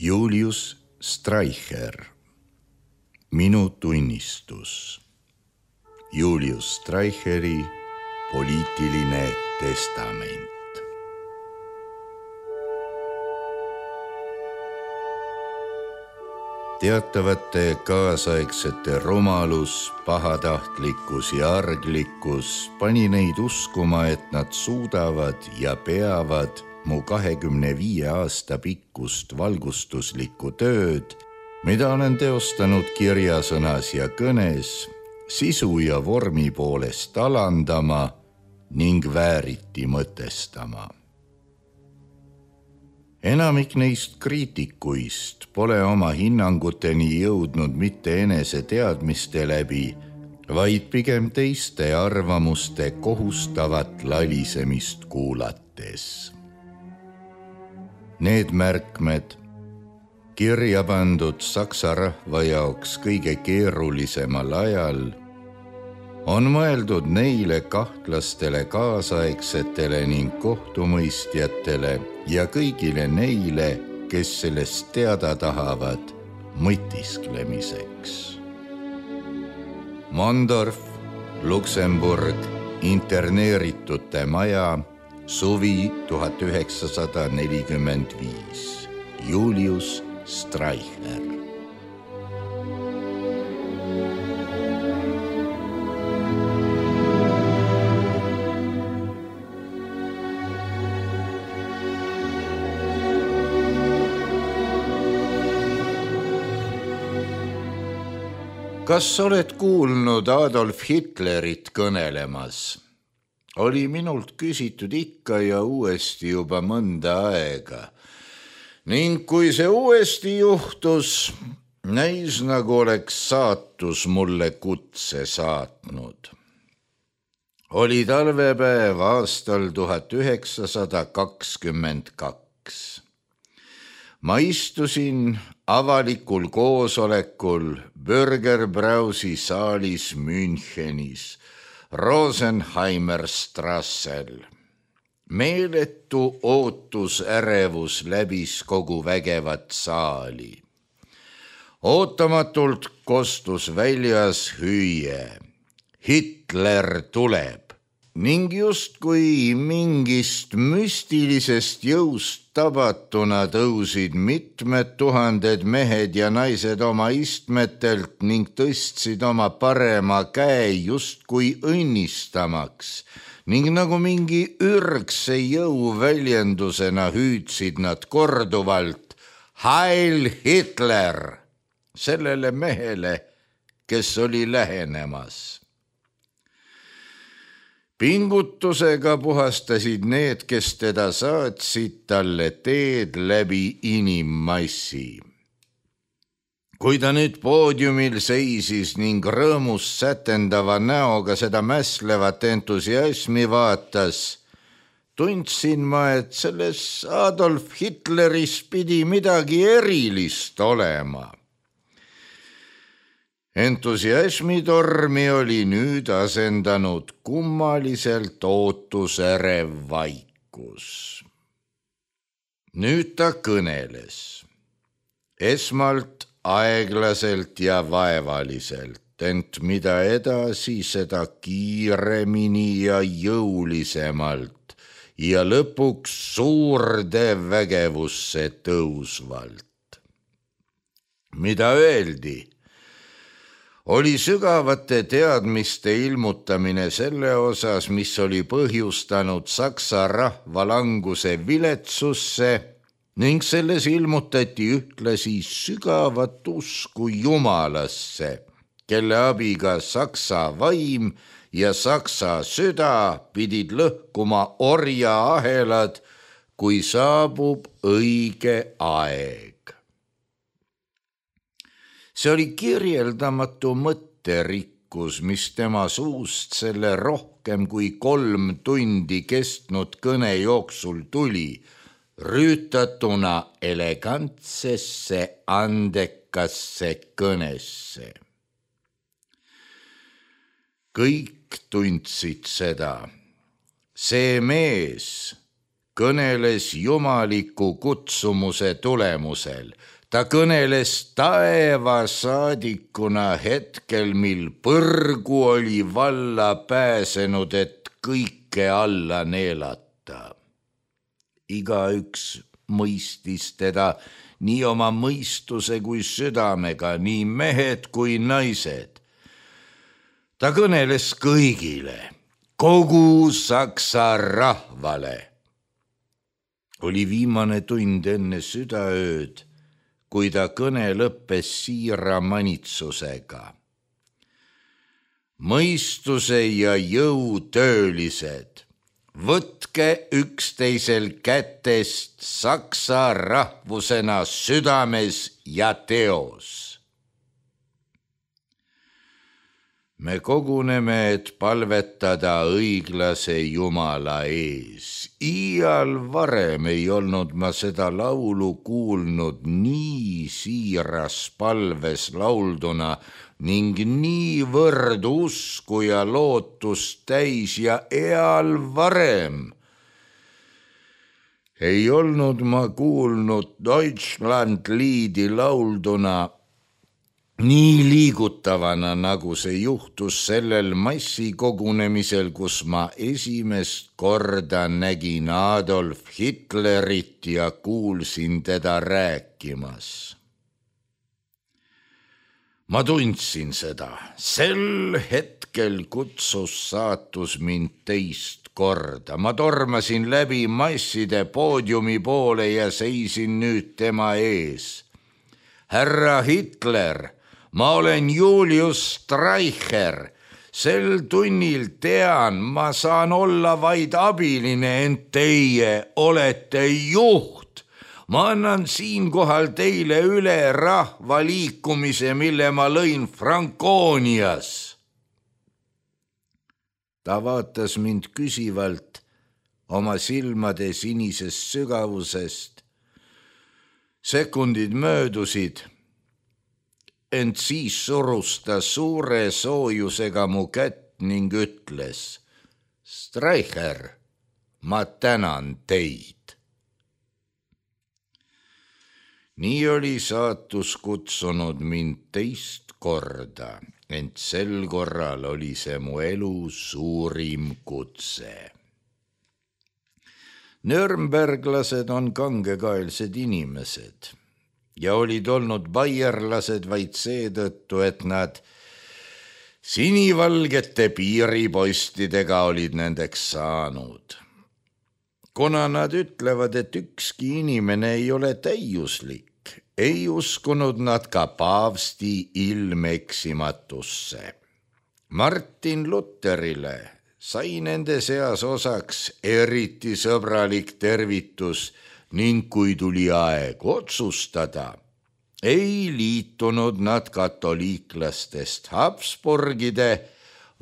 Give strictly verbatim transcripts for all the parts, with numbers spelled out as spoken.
Julius Streicher, Minu tunnistus. Julius Streicheri poliitiline testament. Teatavate kaasaegsete rumalus, pahatahtlikkus ja arglikkus pani neid uskuma, et nad suudavad ja peavad mu kahekümne viie aasta pikkust valgustuslikku tööd, mida olen teostanud kirjasõnas ja kõnes, sisu ja vormi poolest alandama ning vääriti mõtestama. Enamik neist kriitikuist pole oma hinnanguteni jõudnud mitte enese teadmiste läbi, vaid pigem teiste arvamuste kohustavat lalisemist kuulates. Need märkmed, kirja pandud saksa rahva jaoks kõige keerulisemal ajal, on mõeldud neile kahtlastele kaasaegsetele ning kohtumõistjatele ja kõigile neile, kes sellest teada tahavad mõtisklemiseks. Mondorf, Luksemburg, interneeritute maja, suvi tuhat üheksasada nelikümmend viis. Julius Streicher. Kas oled kuulnud Adolf Hitlerit kõnelemas? Oli minult küsitud ikka ja uuesti juba mõnda aega. Ning kui see uuesti juhtus, näis nagu oleks saatus mulle kutse saatnud. Oli talvepäev aastal tuhat üheksasada kakskümmend kaks. Ma istusin avalikul koosolekul Bürgerbrausi saalis Münchenis, Rosenheimer Strassel. Meeletu ootusärevus läbis kogu vägevat saali. Ootamatult kostus väljas hüüe. Hitler tuleb. Ning justkui mingist müstilisest jõust tabatuna tõusid mitmed tuhanded mehed ja naised oma istmetelt ning tõstsid oma parema käe justkui õnnistamaks ning nagu mingi ürgse jõu väljendusena hüüdsid nad korduvalt Heil Hitler sellele mehele, kes oli lähenemas. Pingutusega puhastasid need, kes teda saatsid talle teed läbi inimmassi. Kui ta nüüd poodiumil seisis ning rõõmus sätendava näoga seda mäslevat entusiasmi vaatas, tundsin ma, et selles Adolf Hitleris pidi midagi erilist olema. Entusiasmitormi oli nüüd asendanud kummaliselt ootusärev vaikus. Nüüd ta kõneles. Esmalt aeglaselt ja vaevaliselt, ent mida edasi, seda kiiremini ja jõulisemalt ja lõpuks suurde vägevusse tõusvalt. Mida öeldi? Oli sügavate teadmiste ilmutamine selle osas, mis oli põhjustanud saksa rahva languse viletsusse ning selles ilmutati ühtlasi sügavat usku Jumalasse, kelle abiga saksa vaim ja saksa süda pidid lõhkuma orja ahelad, kui saabub õige aeg. See oli kirjeldamatu mõtterikkus, mis tema suust selle rohkem kui kolm tundi kestnud kõne jooksul tuli, rüütatuna elegantsesse, andekasse kõnesse. Kõik tundsid seda. See mees, kõneles jumaliku kutsumuse tulemusel. Ta kõneles taevasaadikuna hetkel, mil põrgu oli valla pääsenud, et kõike alla neelata. Igaüks mõistis teda nii oma mõistuse kui südamega, nii mehed kui naised. Ta kõneles kõigile, kogu Saksa rahvale. Oli viimane tund enne südaööd, kui ta kõne lõppes siira manitsusega. Mõistuse ja jõu töölised, võtke üksteisel kätest saksa rahvusena südames ja teos. Me koguneme, et palvetada õiglase Jumala ees. Iial varem ei olnud ma seda laulu kuulnud nii siiras palves laulduna ning niivõrd usku ja lootust täis ja eal varem ei olnud ma kuulnud Deutschland liidi laulduna nii liigutavana, nagu see juhtus sellel massikogunemisel, kus ma esimest korda nägin Adolf Hitlerit ja kuulsin teda rääkimas. Ma tundsin seda. Sel hetkel kutsus saatus mind teist korda. Ma tormasin läbi masside poodiumi poole ja seisin nüüd tema ees. Härra Hitler, ma olen Julius Streicher. Sel tunnil tean, ma saan olla vaid abiline, ent teie olete juht. Ma annan siinkohal teile üle rahvaliikumise, mille ma lõin Francoonias. Ta vaatas mind küsivalt oma silmade sinisest sügavusest. Sekundid möödusid, ent siis surus ta suure soojusega mu kätt ning ütles: Streicher, ma tänan teid. Nii oli saatus kutsunud mind teist korda, ent sel korral oli see mu elu suurim kutse. Nürnberglased on kangekaelsed inimesed ja olid olnud baierlased vaid seetõttu, et nad sinivalgete piiripostidega olid nendeks saanud. Kuna nad ütlevad, et ükski inimene ei ole täiuslik, ei uskunud nad ka paavsti ilmeksimatusse. Martin Lutherile sai nende seas osaks eriti sõbralik tervitus ning kui tuli aeg otsustada, ei liitunud nad katoliiklastest Habsburgide,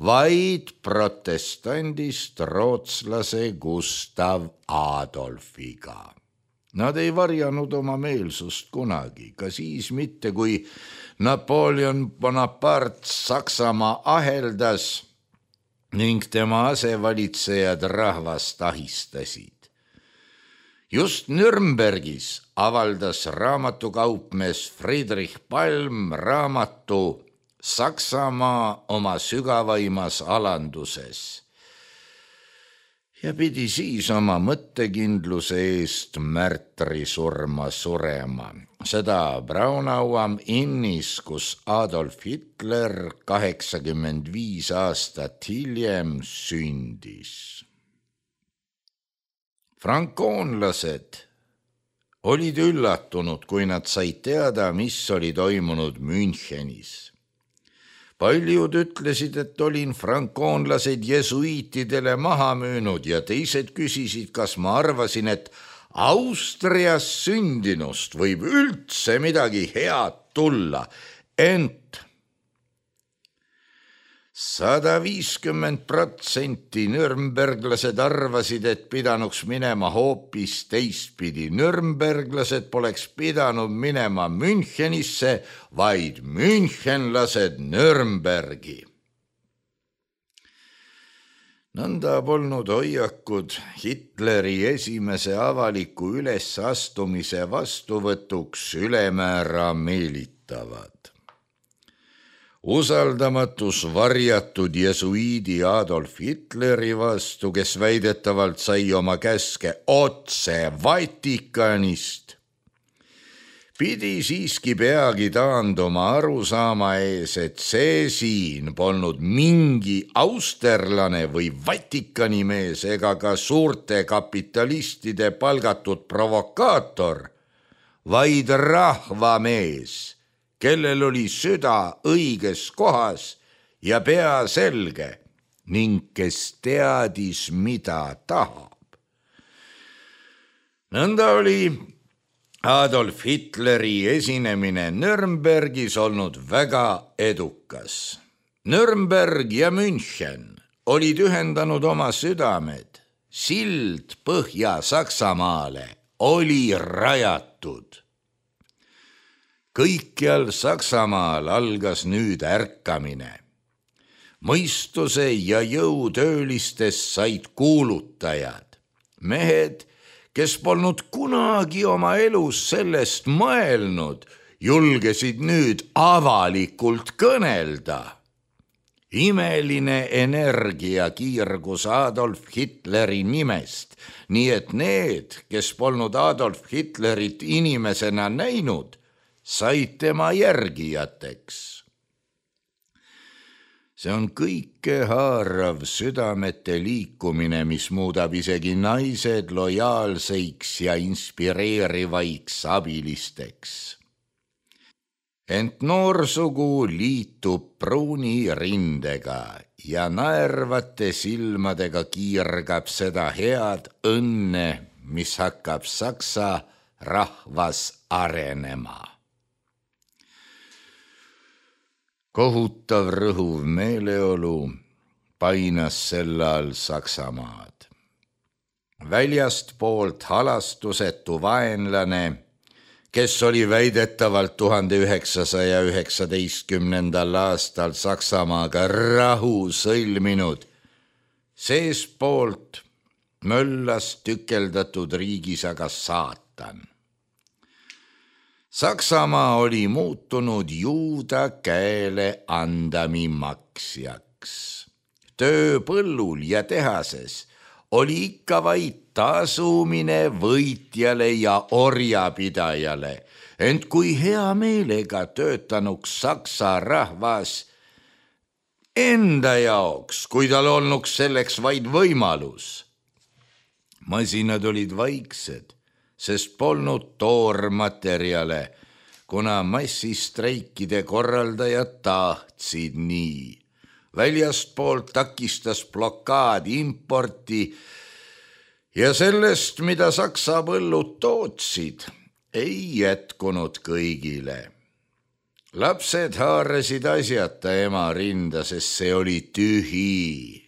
vaid protestandist rootslase Gustav Adolfiga. Nad ei varjanud oma meelsust kunagi, ka siis mitte, kui Napoleon Bonaparte Saksamaa aheldas ning tema asevalitsejad rahvast ahistasid. Just Nürnbergis avaldas raamatukaupmees Friedrich Palm raamatu Saksamaa oma sügavaimas alanduses ja pidi siis oma mõttekindluse eest märtrisurma surema. Seda Braunau am Innis, kus Adolf Hitler kaheksakümmend viis aastat hiljem sündis. Frankoonlased olid üllatunud, kui nad said teada, mis oli toimunud Münchenis. Paljud ütlesid, et olin frankoonlased jesuiitidele maha müünud ja teised küsisid, kas ma arvasin, et Austrias sündinust võib üldse midagi head tulla, ent sada viiskümmend protsenti nürnberglased arvasid, et pidanuks minema hoopis teistpidi. Nürnberglased poleks pidanud minema Münchenisse, vaid münchenlased Nürnbergi. nõnda polnud hoiakud Hitleri esimese avaliku ülesastumise vastuvõtuks ülemäära meelitavad. Usaldamatus varjatud jesuiidi Adolf Hitleri vastu, kes väidetavalt sai oma käske otse Vatikanist, pidi siiski peagi taanduma arusaama ees, et see siin polnud mingi austerlane või Vatikani mees ega ka suurte kapitalistide palgatud provokaator, vaid rahvamees, kellel oli süda õiges kohas ja pea selge ning kes teadis, mida tahab. Nõnda oli Adolf Hitleri esinemine Nürnbergis olnud väga edukas. Nürnberg ja München olid ühendanud oma südamed, sild Põhja-Saksamaale oli rajatud. Kõikjal Saksamaal algas nüüd ärkamine. Mõistuse ja jõutöölistest said kuulutajad, mehed, kes polnud kunagi oma elus sellest mõelnud, julgesid nüüd avalikult kõnelda. Imeline energia kiirgus Adolf Hitleri nimest, nii et need, kes polnud Adolf Hitlerit inimesena näinud, said tema järgijateks. See on kõikehaarav südamete liikumine, mis muudab isegi naised lojaalseiks ja inspireerivaiks abilisteks. Ent noorsugu liitub pruuni rindega ja naervate silmadega kiirgab seda head õnne, mis hakkab Saksa rahvas arenema. Kohutav rõhuv meeleolu painas sel all Saksamaad. Väljast poolt halastusetu vaenlane, kes oli väidetavalt tuhande üheksasaja üheksateistkümnendal aastal Saksamaaga rahu sõlminud, seespoolt möllas tükeldatud riigis aga saatan. Saksamaa oli muutunud juuda käele andami maksjaks. Töö põllul ja tehases oli ikka vaid tasumine võitjale ja orjapidajale, ent kui hea meelega töötanuks Saksa rahvas enda jaoks, kui tal olnuks selleks vaid võimalus. Masinad olid vaiksed, sest polnud toormaterjale, kuna massistreikide korraldajad tahtsid nii. Väljastpoolt takistas blokaad importi ja sellest, mida Saksa põllud tootsid, ei jätkunud kõigile. Lapsed haarasid asjata ema rinda, sest see oli tühi.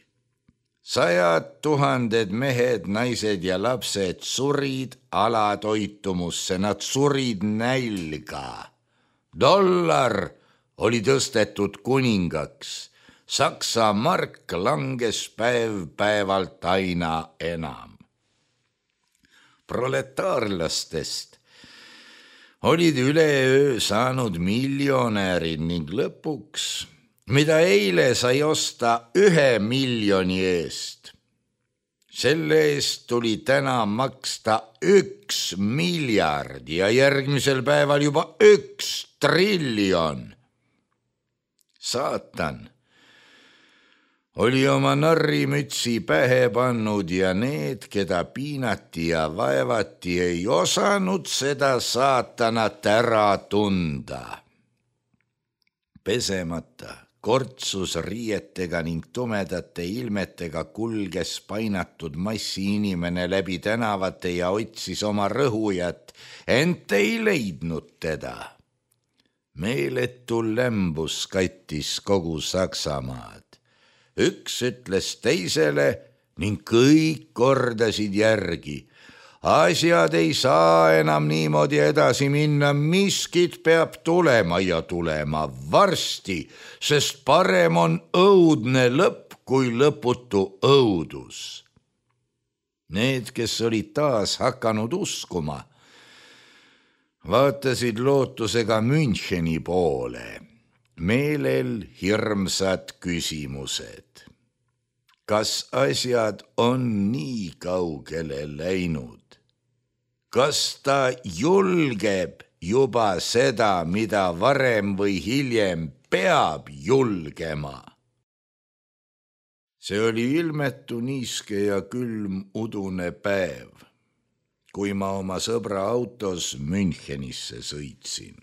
Sajad tuhanded mehed, naised ja lapsed surid alatoitumusse, nad surid nälga. Dollar oli tõstetud kuningaks, Saksa mark langes päev päevalt aina enam. Proletaarlastest olid üleöö saanud miljonärid ning lõpuks, mida eile sai osta ühe miljoni eest, selle eest tuli täna maksta üks miljard ja järgmisel päeval juba üks triljon. Saatan oli oma narrimütsi pähe pannud ja need, keda piinati ja vaevati, ei osanud seda saatanat ära tunda. Pesemata, kortsus riietega ning tumedate ilmetega kulges painatud massi inimene läbi tänavate ja otsis oma rõhujat, ent ei leidnud teda. Meeletu lämbus kattis kogu Saksamaad. Üks ütles teisele ning kõik kordasid järgi. Asjad ei saa enam niimoodi edasi minna, miskit peab tulema ja tulema varsti, sest parem on õudne lõpp kui lõputu õudus. Need, kes olid taas hakanud uskuma, vaatasid lootusega Müncheni poole, meelel hirmsad küsimused. Kas asjad on nii kaugele läinud? Kas ta julgeb juba seda, mida varem või hiljem peab julgema? See oli ilmetu niiske ja külm udune päev, kui ma oma sõbra autos Münchenisse sõitsin.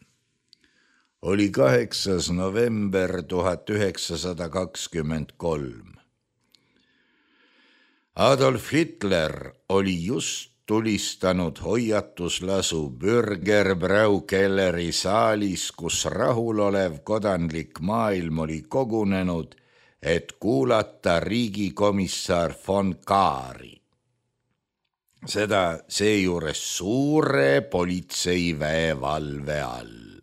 Oli kaheksas november tuhat üheksasada kakskümmend kolm. Adolf Hitler oli just tulistanud hoiatuslasu Bürgerbraukelleri saalis, kus rahulolev kodanlik maailm oli kogunenud, et kuulata riigikomissar von Kaari. Seda seejuures suure politseiväe valve all.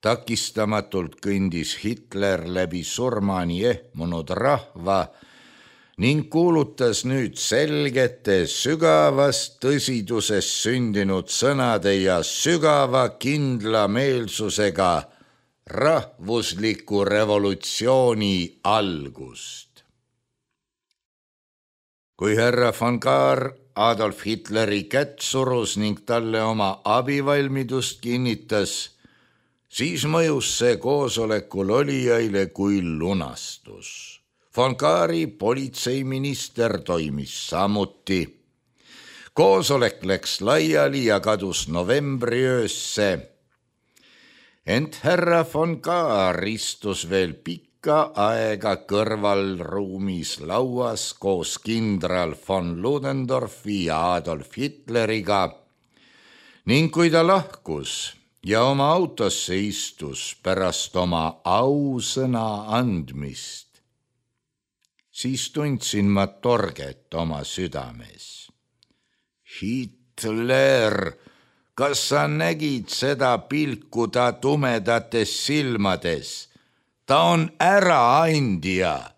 Takistamatult kõndis Hitler läbi surmani ehmunud rahva ning kuulutas nüüd selgete, sügavast tõsidusest sündinud sõnade ja sügava kindlameelsusega rahvusliku revolutsiooni algust. Kui härra von Kahr Adolf Hitleri kätt surus ning talle oma abivalmidust kinnitas, siis mõjus see koosolekul olijaile kui lunastus. Von Kahri politseiminister toimis samuti. Koosolek läks laiali ja kadus novembriöösse. Ent härra von Kahr istus veel pikka aega kõrvalruumis lauas koos kindral von Ludendorfi ja Adolf Hitleriga ning kui ta lahkus ja oma autosse istus pärast oma ausõna andmist, siis tundsin ma torget oma südames. Hitler, kas sa nägid seda pilku ta tumedates silmades? Ta on äraandja,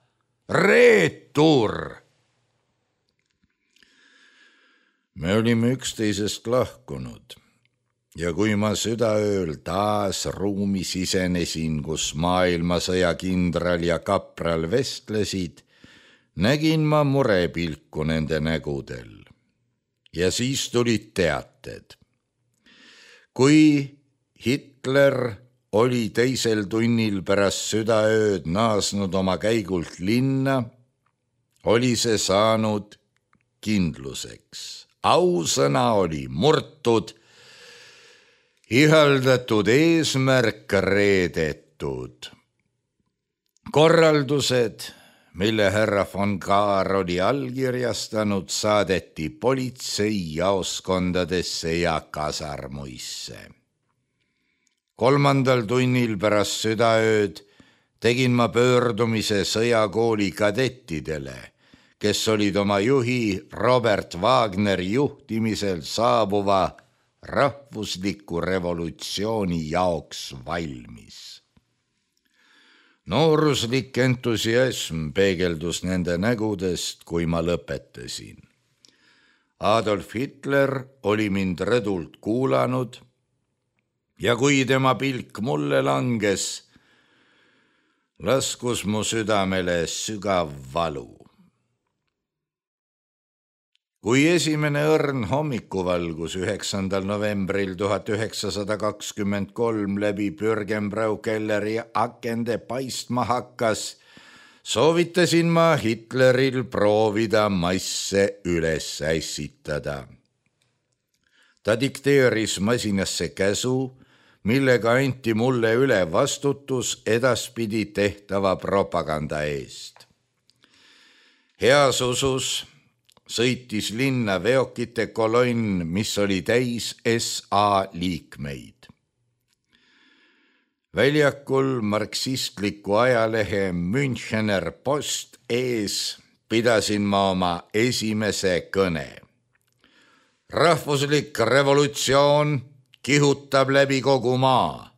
reetur. Me olime üksteisest lahkunud ja kui ma südaööl taas ruumi sisenesin, kus maailmasõja kindral ja kapral vestlesid, nägin ma murepilku nende nägudel ja siis tulid teated. Kui Hitler oli teisel tunnil pärast südaööd naasnud oma käigult linna, oli see saanud kindluseks. Ausõna oli murtud, ihaldatud eesmärk reedetud. Korraldused, mille härra von Kahr oli allkirjastanud, saadeti politseijaoskondadesse ja kasarmuisse. Kolmandal tunnil pärast südaööd tegin ma pöördumise sõjakooli kadettidele, kes olid oma juhi Robert Wagneri juhtimisel saabuva rahvusliku revolutsiooni jaoks valmis. Nooruslik entusiasm peegeldus nende nägudest, kui ma lõpetasin. Adolf Hitler oli mind rõdult kuulanud ja kui tema pilk mulle langes, laskus mu südamele sügav valu. Kui esimene õrn hommikuvalgus üheksandal novembril tuhat üheksasada kakskümmend kolm läbi Bürgenbraukelleri akende paistma hakkas, soovitasin ma Hitleril proovida masse üles ässitada. Ta dikteeris masinasse käsu, millega anti mulle üle vastutus edaspidi tehtava propaganda eest. Heas usus sõitis linna veokite kolonn, mis oli täis S A liikmeid. Väljakul marksistliku ajalehe Münchener Post ees pidasin ma oma esimese kõne. Rahvuslik revolutsioon kihutab läbi kogu maa.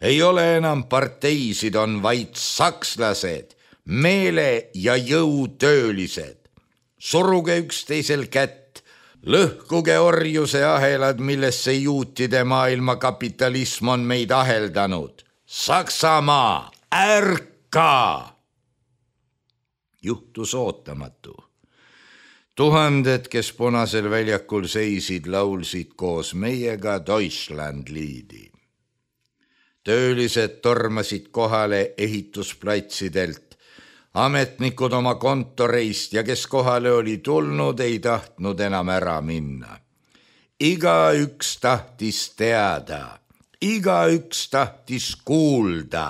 Ei ole enam parteisid, on vaid sakslased. meele ja jõutöölised, suruge üksteisel kätt, lõhkuge orjuse ahelad, millesse juutide maailma kapitalism on meid aheldanud. Saksamaa, ärka! Juhtus ootamatu. Tuhanded, kes Punasel väljakul seisid, laulsid koos meiega Deutschlandliidi. Töölised tormasid kohale ehitusplatsidelt, ametnikud oma kontoreist ja kes kohale oli tulnud, ei tahtnud enam ära minna. Igaüks tahtis teada, igaüks tahtis kuulda.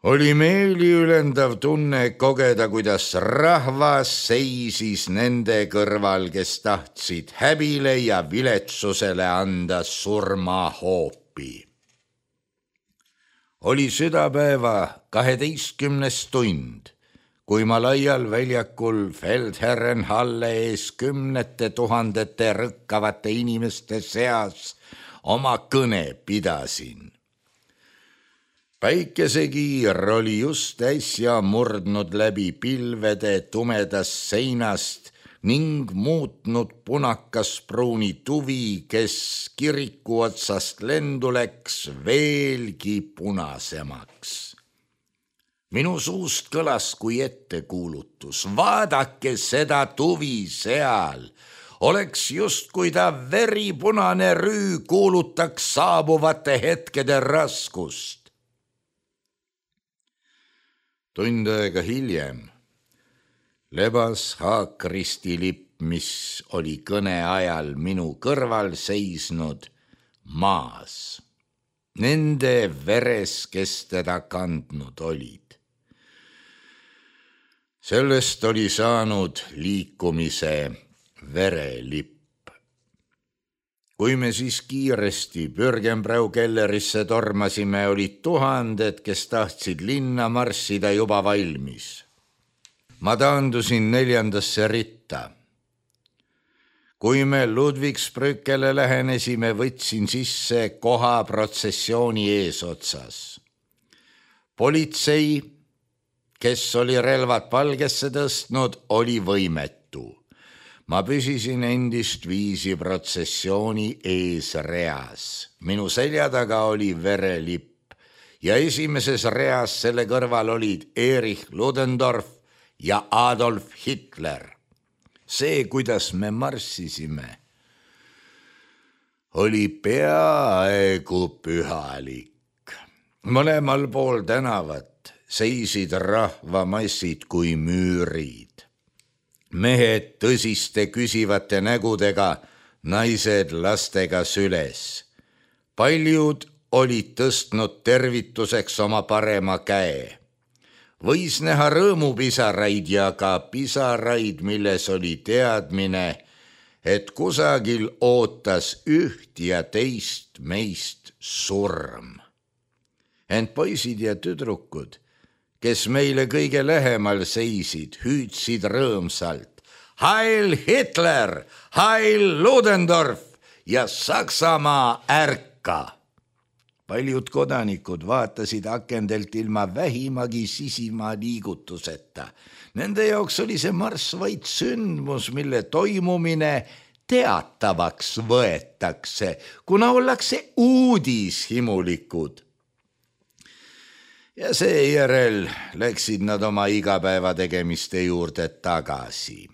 Oli meeliülendav tunne kogeda, kuidas rahvas seisis nende kõrval, kes tahtsid häbile ja viletsusele anda surmahoopi. Oli südapäeva kaheteistkümnes tund, kui ma laial väljakul Feldherrenhalle ees kümnete tuhandete rõkkavate inimeste seas oma kõne pidasin. Päikesekiir oli just äsja murdnud läbi pilvede tumedast seinast ning muutnud punakas pruuni tuvi, kes kiriku otsast lendu läks veelgi punasemaks. Minu suust kõlas kui ettekuulutus, vaadake seda tuvi seal, oleks justkui ta veripunane rüü kuulutaks saabuvate hetkede raskust. Tund aega hiljem lebas Haakristi lipp, mis oli kõne ajal minu kõrval seisnud, maas. Nende veres, kes teda kandnud olid. Sellest oli saanud liikumise verelipp. Kui me siis kiiresti Bürgenbrau kellerisse tormasime, olid tuhanded, kes tahtsid linna marssida, juba valmis. Ma taandusin neljandasse ritta. Kui me Ludwigsbrückele lähenesime, võtsin sisse koha protsessiooni eesotsas. Politsei, kes oli relvad palgesse tõstnud, oli võimetu. Ma püsisin endist viisi protsessiooni eesreas. Minu selja taga oli verelipp ja esimeses reas selle kõrval olid Erich Ludendorff ja Adolf Hitler. See, kuidas me marssisime, oli peaaegu pühalik. Mõlemal pool tänavat seisid rahvamassid kui müürid. Mehed tõsiste küsivate nägudega, naised lastega süles. Paljud olid tõstnud tervituseks oma parema käe. Võis näha rõõmupisaraid ja ka pisaraid, milles oli teadmine, et kusagil ootas üht ja teist meist surm. Ent poisid ja tüdrukud, kes meile kõige lähemal seisid, hüüdsid rõõmsalt Heil Hitler, Heil Ludendorff ja Saksamaa ärka. Paljud kodanikud vaatasid akendelt ilma vähimagi sisima liigutuseta. Nende jaoks oli see marss vaid sündmus, mille toimumine teatavaks võetakse, kuna ollakse uudishimulikud. Ja seejärel läksid nad oma igapäeva tegemiste juurde tagasi.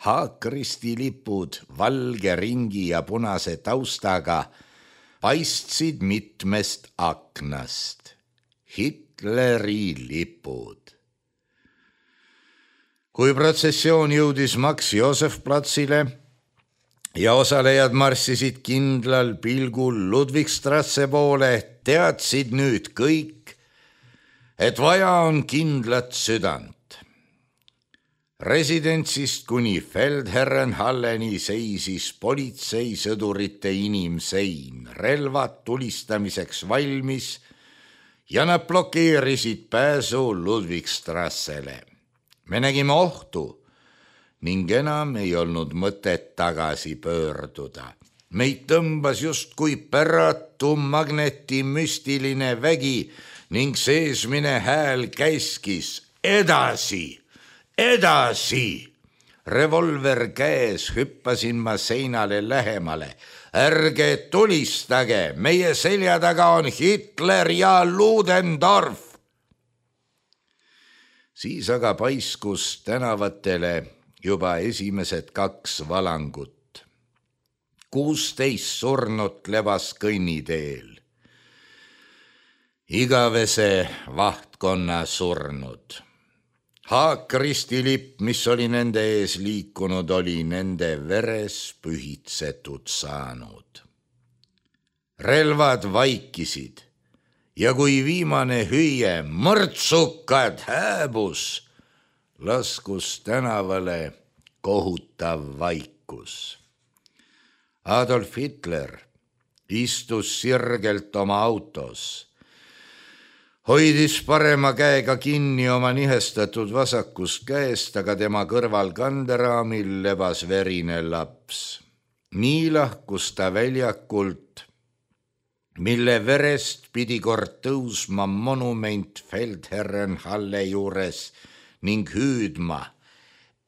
Haakristi lipud valge ringi ja punase taustaga paistsid mitmest aknast. Hitleri lipud. Kui protsessioon jõudis Max Josef platsile ja osalejad marssisid kindlal pilgul Ludwigstrasse poole, teadsid nüüd kõik, et vaja on kindlat südant. Residentsist kuni Feldherrenhalleni seisis politseisõdurite inimsein, relvad tulistamiseks valmis ja nad blokeerisid pääsu Ludwigstrassele. Me nägime ohtu ning enam ei olnud mõtet tagasi pöörduda. Meid tõmbas justkui päratu magneti müstiline vägi, ning seesmine hääl käskis edasi, edasi. Revolver käes hüppasin ma seinale lähemale. Ärge tulistage, meie selja taga on Hitler ja Ludendorff. Siis aga paiskus tänavatele juba esimesed kaks valangut. kuusteist surnut lebas kõnniteel. Igavese vahtkonna surnud. Haakristi lipp, mis oli nende ees liikunud, oli nende veres pühitsetud saanud. Relvad vaikisid ja kui viimane hüüe mõrtsukad hääbus, laskus tänavale kohutav vaikus. Adolf Hitler istus sirgelt oma autos, hoidis parema käega kinni oma nihestatud vasakust käest, aga tema kõrval kanderaamil lebas verine laps. Nii lahkus ta väljakult, mille verest pidi kord tõusma monument Feldherrenhalle juures ning hüüdma: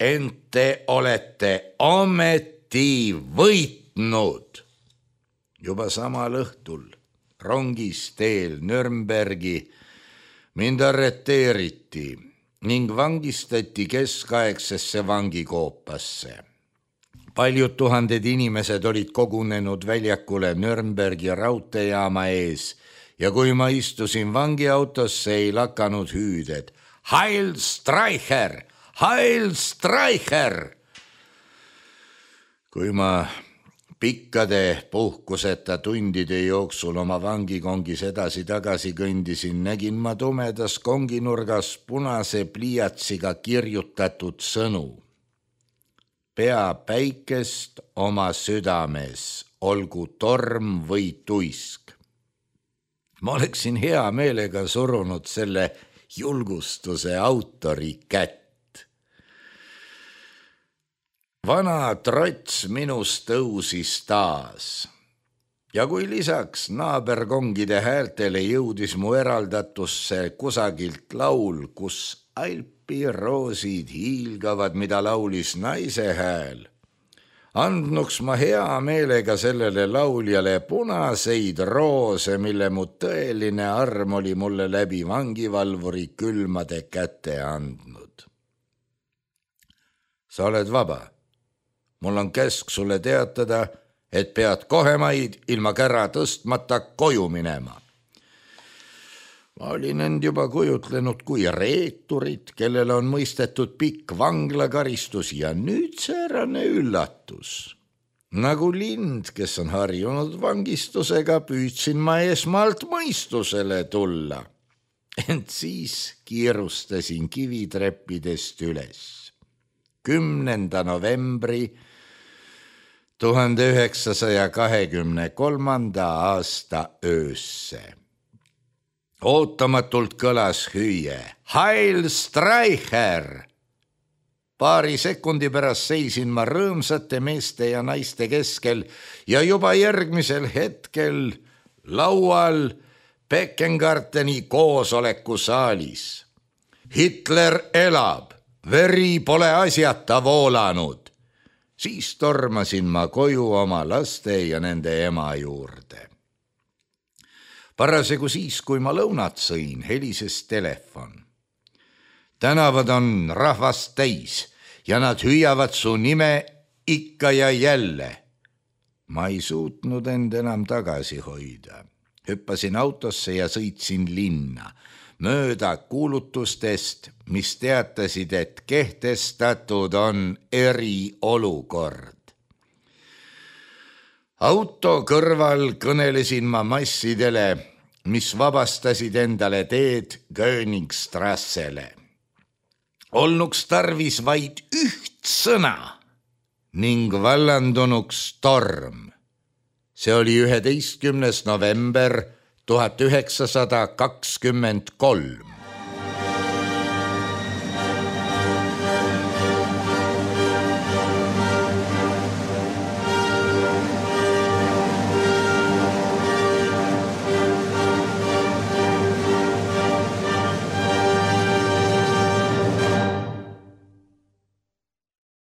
ent te olete ometi võitnud. Juba samal õhtul rongis teel Nürnbergi mind arreteeriti ning vangistati keskaegsesse vangikoopasse. Paljud tuhanded inimesed olid kogunenud väljakule Nürnbergi raudteejaama ees ja kui ma istusin vangiautosse, ei lakanud hüüded: Heil Streicher! Heil Streicher! Kui ma pikkade puhkuseta tundide jooksul oma vangikongis edasi-tagasi kõndisin, nägin ma tumedas konginurgas punase pliiatsiga kirjutatud sõnu: pea päikest oma südames, olgu torm või tuisk. Ma oleksin hea meelega surunud selle julgustuse autori kätt. Vana trots minus tõusis taas ja kui lisaks naaberkongide häältele jõudis mu eraldatusse kusagilt laul, kus alpiroosid hiilgavad, mida laulis naise hääl, andnuks ma hea meelega sellele lauljale punaseid roose, mille mu tõeline arm oli mulle läbi vangivalvuri külmade käte andnud. Sa oled vaba. Mul on käsk sulle teatada, et pead kohemaid ilma kära tõstmata koju minema. Ma olin end juba kujutlenud kui reeturit, kellel on mõistetud pikk vanglakaristus ja nüüd säärane üllatus. Nagu lind, kes on harjunud vangistusega, püüdsin ma esmalt mõistusele tulla. Ent siis kiirustasin kivitreppidest üles. kümnenda novembri tuhande üheksasaja kahekümne kolmanda aasta öösse. Ootamatult kõlas hüüe: Heil Streicher! Paari sekundi pärast seisin ma rõõmsate meeste ja naiste keskel ja juba järgmisel hetkel laual Beckengarteni koosolekusaalis. Hitler elab, veri pole asjata voolanud. Siis tormasin ma koju oma laste ja nende ema juurde. Parasjagu siis, kui ma lõunat sõin, helises telefon. Tänavad on rahvast täis ja nad hüüavad su nime ikka ja jälle. Ma ei suutnud end enam tagasi hoida. Hüppasin autosse ja sõitsin linna, mööda kuulutustest, mis teatasid, et kehtestatud on eriolukord. Auto kõrval kõnelesin ma massidele, mis vabastasid endale teed Königstrassele. Olnuks tarvis vaid üht sõna ning vallandunuks torm. See oli üheteistkümnes november tuhat üheksasada kakskümmend kolm.